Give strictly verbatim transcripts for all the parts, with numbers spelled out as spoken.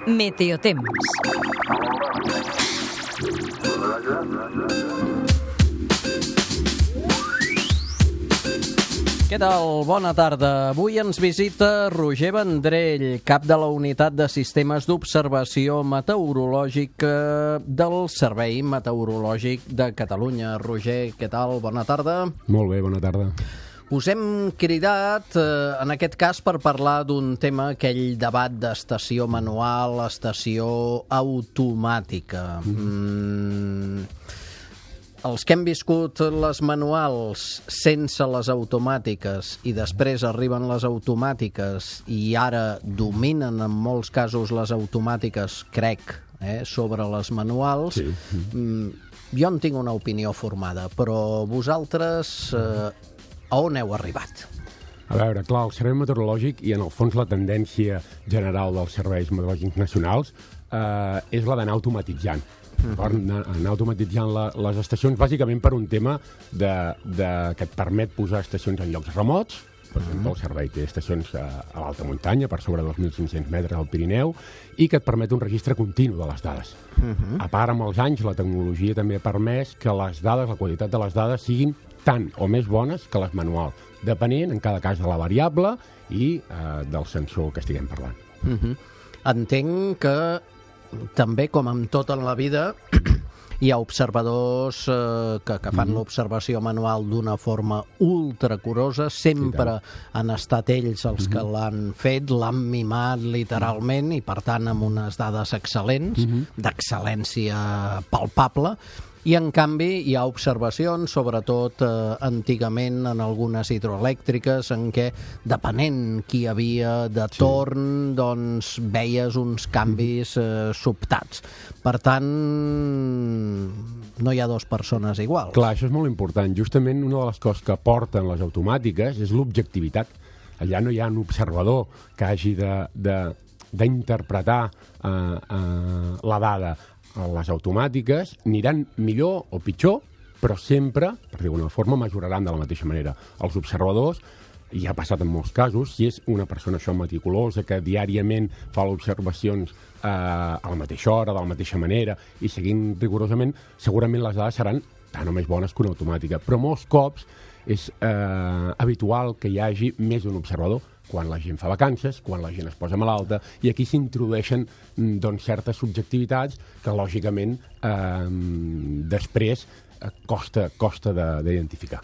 Meteotemps. Què tal? Bona tarda. Avui ens visita Roger Vendrell, cap de la Unitat de Sistemes d'Observació Meteorològica del Servei Meteorològic de Catalunya. Roger, què tal? Bona tarda. Molt bé, bona tarda. Us hem cridat, eh, en aquest cas, per parlar d'un tema, aquell debat d'estació manual, estació automàtica. Mm. Els que hem viscut les manuals sense les automàtiques i després arriben les automàtiques i ara dominen en molts casos les automàtiques, crec, eh, sobre les manuals, Sí. mm, jo en tinc una opinió formada, però vosaltres eh, a on heu arribat? A veure, clar, el servei meteorològic i en el fons la tendència general dels serveis meteorològics nacionals eh, és la d'anar automatitzant. Uh-huh. anar, anar automatitzant la, les estacions bàsicament per un tema de, de, que et permet posar estacions en llocs remots. Per exemple, uh-huh. el servei té estacions a, a l'alta muntanya, per sobre dos mil cinc-cents metres al Pirineu, i que et permet un registre continu de les dades. Uh-huh. A part, amb els anys, la tecnologia també ha permès que les dades, la qualitat de les dades, siguin tant o més bones que les manuals, depenent, en cada cas, de la variable i eh, del sensor que estiguem parlant. Uh-huh. Entenc que també, com amb tot en la vida, hi ha observadors eh, que, que fan mm-hmm. l'observació manual d'una forma ultracurosa, sempre sí, han estat ells els mm-hmm. que l'han fet, l'han mimat literalment i, per tant, amb unes dades excel·lents, mm-hmm. d'excel·lència palpable. I, en canvi, hi ha observacions, sobretot eh, antigament en algunes hidroelèctriques, en què, depenent qui hi havia de torn, sí. doncs veies uns canvis eh, sobtats. Per tant, no hi ha dues persones iguals. Clar, això és molt important. Justament una de les coses que porten les automàtiques és l'objectivitat. Allà no hi ha un observador que hagi d'interpretar eh, eh, la dada. Les automàtiques aniran millor o pitjor, però sempre, per dir d'alguna forma, mesuraran de la mateixa manera. Els observadors, i ha passat en molts casos, si és una persona això meticulosa que diàriament fa observacions eh, a la mateixa hora, de la mateixa manera, i seguint rigorosament, segurament les dades seran tan o més bones que una automàtica. Però molts cops és eh, habitual que hi hagi més d'un observador, quan la gent fa vacances, quan la gent es posa malalta, i aquí s'introdueixen doncs, certes subjectivitats que, lògicament, eh, després eh, costa, costa d'identificar.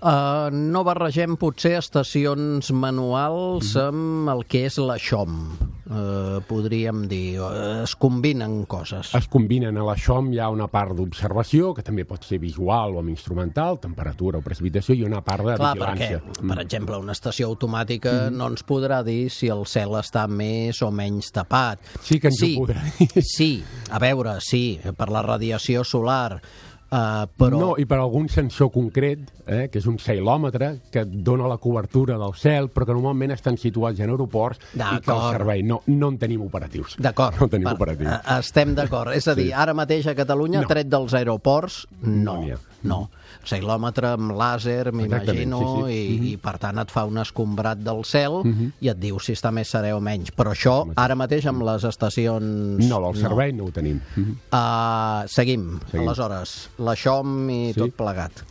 Uh, no barregem, potser, estacions manuals mm. amb el que és la X O M, uh, podríem dir. Uh, es combinen coses. Es combinen. A la X O M hi ha una part d'observació, que també pot ser visual o amb instrumental, temperatura o precipitació, i una part de Clar, vigilància. Perquè, per exemple, una estació automàtica mm. no ens podrà dir si el cel està més o menys tapat. Sí que ens sí, ho podrà dir. Sí, a veure, sí, per la radiació solar. Uh, però... No, i per algun sensor concret, eh, que és un sailòmetre, que et dona la cobertura del cel, però que normalment estan situats en aeroports i que el servei no, no en tenim operatius. D'acord. No en tenim per, operatius. Estem d'acord. És a dir, sí. ara mateix a Catalunya, no. tret dels aeroports, no. No, no. Sailòmetre amb làser, m'imagino, sí, sí. i, mm-hmm. i per tant et fa un escombrat del cel mm-hmm. i et diu si està més serè o menys. Però això, ara mateix, amb les estacions... No, del servei no, no ho tenim. Mm-hmm. Uh, seguim. seguim. Aleshores, la X O M i sí. tot plegat.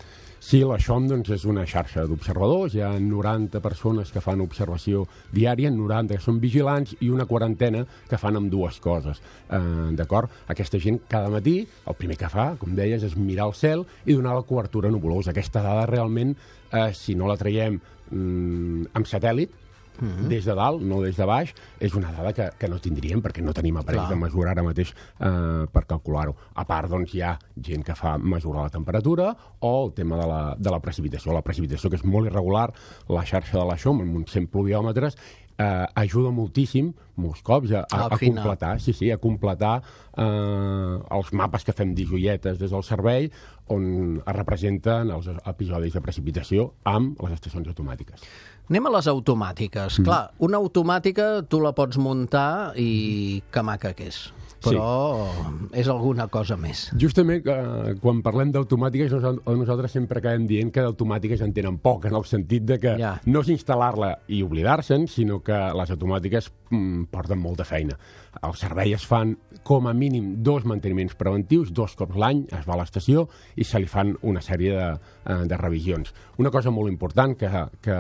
Sí, la X O M doncs, és una xarxa d'observadors. Hi ha noranta persones que fan observació diària, noranta que són vigilants i una quarantena que fan amb dues coses. Eh, d'acord? Aquesta gent cada matí, el primer que fa, com deies, és mirar el cel i donar la cobertura nubolosa. Aquesta dada realment, eh, si no la traiem mm, amb satèl·lit, Mm-hmm. des de dalt, no des de baix, és una dada que, que no tindríem perquè no tenim aparells Clar. de mesurar ara mateix eh, per calcular-ho. A part, doncs, hi ha gent que fa mesurar la temperatura o el tema de la, de la precipitació. La precipitació, que és molt irregular, la xarxa de la X O M, amb uns cent pluviòmetres, eh, ajuda moltíssim, molts cops, a, a, a completar, sí, sí, a completar eh, els mapes que fem d'joietes des del servei, on es representen els episodis de precipitació amb les estacions automàtiques. Anem a les automàtiques. Mm. Clar, una automàtica tu la pots muntar i que maca que és. però sí. És alguna cosa més. Justament, eh, quan parlem d'automàtiques, nosaltres sempre acabem dient que d'automàtiques en tenen poc, en el sentit de que ja. no és instal·lar-la i oblidar-se'n, sinó que les automàtiques mm, porten molta feina. El servei es fan com a mínim dos manteniments preventius, dos cops l'any es va a l'estació i se li fan una sèrie de, eh, de revisions. Una cosa molt important que, que,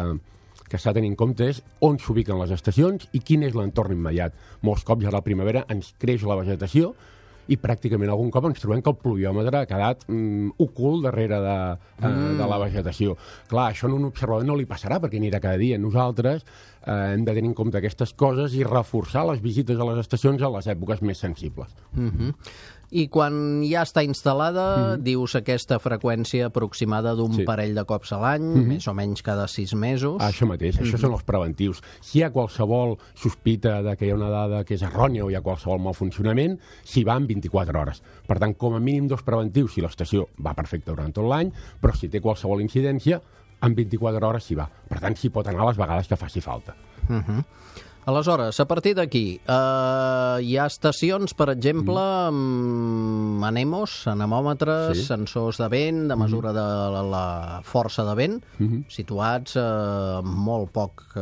que s'ha de tenir en compte és on s'ubiquen les estacions i quin és l'entorn immediat. Molts cops a la primavera ens creix la vegetació i pràcticament algun cop ens trobem que el pluviòmetre ha quedat mm, ocult darrere de, eh, mm. de la vegetació. Clar, això a un observador no li passarà perquè anirà cada dia. Nosaltres eh, hem de tenir en compte aquestes coses i reforçar les visites a les estacions a les èpoques més sensibles. Mm-hmm. I quan ja està instal·lada, mm. dius aquesta freqüència aproximada d'un sí. parell de cops a l'any, mm-hmm. més o menys cada sis mesos. Això mateix, mm-hmm. això són els preventius. Si hi ha qualsevol sospita de que hi ha una dada que és errònia o hi ha qualsevol mal funcionament, s'hi va en vint-i-quatre hores. Per tant, com a mínim dos preventius si l'estació va perfecta durant tot l'any, però si té qualsevol incidència, en vint-i-quatre hores s'hi va. Per tant, s'hi pot anar les vegades que faci falta. Mhm. Aleshores, a partir d'aquí, eh, hi ha estacions, per exemple, amb anemos, anemòmetres, sí. sensors de vent, de mesura de la, la força de vent, mm-hmm. situats a eh, molt poc eh,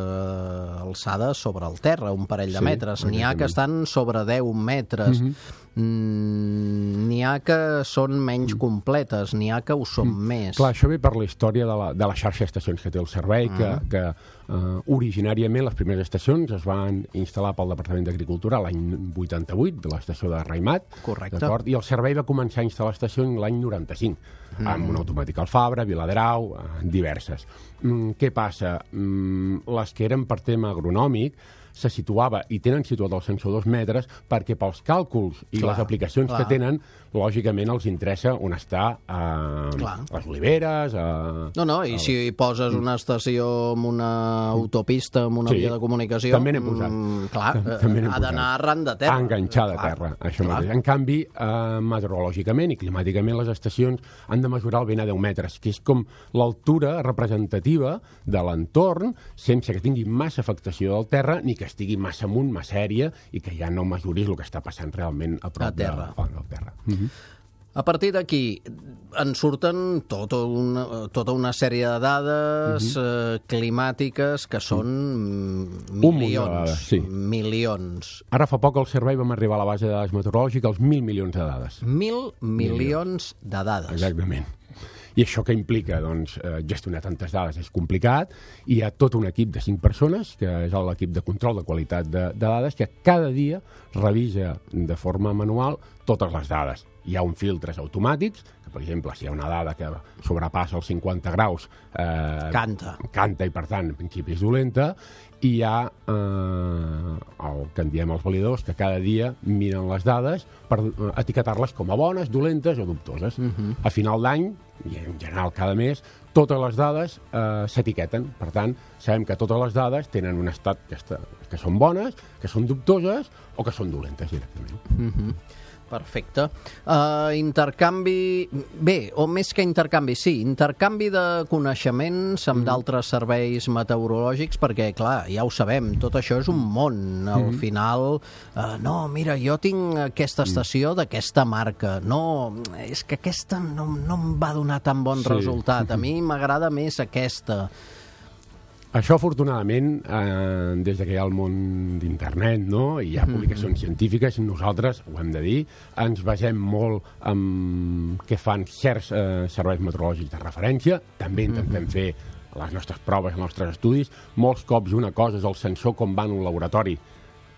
alçada sobre el terra, un parell de sí, metres. N'hi ha que estan sobre deu metres. Mm-hmm. Mm, n'hi ha que són menys completes, n'hi ha que ho són mm. més. Clar, això ve per la història de la, de la xarxa d'estacions que té el servei, mm. que, que uh, originàriament les primeres estacions es van instal·lar pel Departament d'Agricultura l'any vuitanta-vuit, de l'estació de Raimat. Correcte. I el servei va començar a instal·lar estacions l'any noranta-cinc, mm. amb una automàtica al Fabra, Viladrau, uh, diverses. Mm, què passa? Mm, les que eren per tema agronòmic se situava, i tenen situat el sensor dos metres, perquè pels càlculs i clar, les aplicacions clar. que tenen, lògicament els interessa on està a les oliveres... A, no, no, i a... si hi poses una estació amb una autopista, amb una sí, via de comunicació... també n'hem posat. Mm, clar, també ha d'anar arran de terra. Enganxar de terra, això mateix. En canvi, eh, meteorològicament i climàticament, les estacions han de mesurar el vent a deu metres, que és com l'altura representativa de l'entorn, sense que tingui massa afectació del terra, ni que estigui massa amunt, massa aèria, i que ja no mesuris el que està passant realment a prop a terra. De, de terra. Mm-hmm. A partir d'aquí en surten tota una, tota una sèrie de dades mm-hmm. eh, climàtiques que són mm. milions. Dades, sí. Milions. Ara fa poc al servei vam arribar a la base de dades meteorològiques als mil milions de dades. Mil milions de dades. Exactament. I això que implica? Doncs, eh, gestionar tantes dades és complicat, i hi ha tot un equip de cinc persones, que és l'equip de control de qualitat de, de dades, que cada dia revisa de forma manual totes les dades. Hi ha uns filtres automàtics, que, per exemple, si hi ha una dada que sobrepassa els cinquanta graus... Eh, canta. Canta, i per tant, en principi és dolenta, i hi ha eh, el que en diem els validadors, que cada dia miren les dades per eh, etiquetar-les com a bones, dolentes o dubtoses. Uh-huh. A final d'any, i en general cada mes, totes les dades eh, s'etiqueten. Per tant, sabem que totes les dades tenen un estat que, està, que són bones, que són dubtoses o que són dolentes directament. Uh-huh. Perfecte. Uh, intercanvi... Bé, o més que intercanvi, sí, intercanvi de coneixements amb mm. d'altres serveis meteorològics, perquè, clar, ja ho sabem, tot això és un món. Al mm. final, uh, no, mira, jo tinc aquesta estació mm. d'aquesta marca. No, és que aquesta no, no em va donar tan bon sí. resultat. A mi m'agrada més aquesta. Això, afortunadament, eh, des que hi ha el món d'internet, no?, i hi ha publicacions mm-hmm. científiques, nosaltres, ho hem de dir, ens basem molt en què fan certs eh, serveis meteorològics de referència, també intentem mm-hmm. fer les nostres proves, els nostres estudis. Molts cops una cosa és el sensor com va en un laboratori,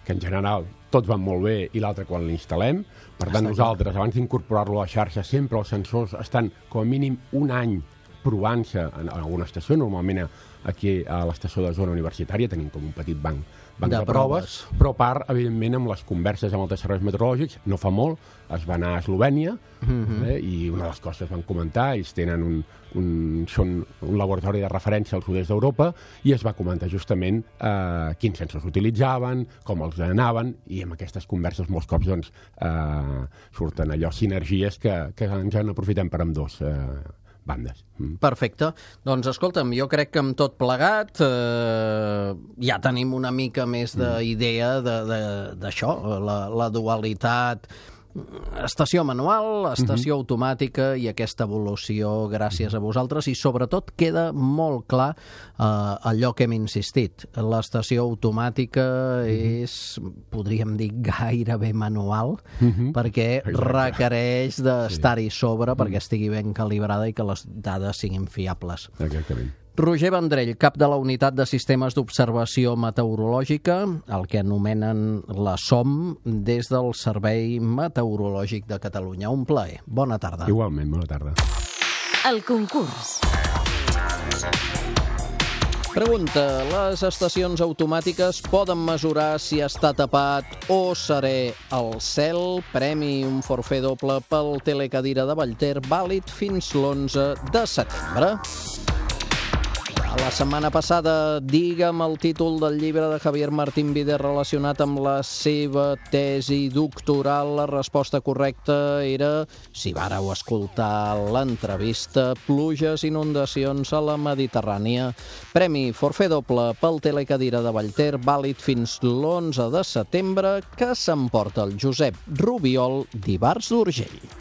que en general tots van molt bé, i l'altre quan l'instal·lem. Per tant, nosaltres, abans d'incorporar-lo a la xarxa, sempre els sensors estan com a mínim un any provant-se en alguna estació. Normalment aquí a l'estació de zona universitària tenim com un petit banc, banc de, de proves, proves, però a part, evidentment, amb les converses amb altres serveis meteorològics, no fa molt, es va anar a Eslovènia, mm-hmm. eh, i una de les coses que van comentar, ells tenen un, un, són un laboratori de referència al sud-est d'Europa, i es va comentar justament eh, quins sensors utilitzaven, com els anaven, i amb aquestes converses molts cops doncs, eh, surten allò sinergies que, que ens en aprofitem per ambdós eh, bandes. Mm. Perfecte. Doncs escolta'm, jo crec que amb tot plegat eh, ja tenim una mica més d'idea d'això, la, la dualitat, estació manual, estació uh-huh. automàtica i aquesta evolució gràcies a vosaltres, i sobretot queda molt clar eh, allò que hem insistit. L'estació automàtica uh-huh. és, podríem dir, gairebé manual, uh-huh. perquè Exacte. requereix d'estar-hi sobre sí. perquè estigui ben calibrada i que les dades siguin fiables. Exactament. Roger Vendrell, cap de la Unitat de Sistemes d'Observació Meteorològica, el que anomenen la S O M, des del Servei Meteorològic de Catalunya. Un plaer. Bona tarda. Igualment, bona tarda. El concurs. Pregunta: les estacions automàtiques poden mesurar si està tapat o serè el cel? Premi un forfait doble pel telecadira de Vallter, vàlid fins l'onze de setembre. La setmana passada, digue'm el títol del llibre de Javier Martín Vider relacionat amb la seva tesi doctoral. La resposta correcta era, si vàreu escoltar l'entrevista, Pluges, inundacions a la Mediterrània. Premi forfait doble pel telecadira de Vallter, vàlid fins l'onze de setembre, que s'emporta el Josep Rubiol d'Ivars d'Urgell.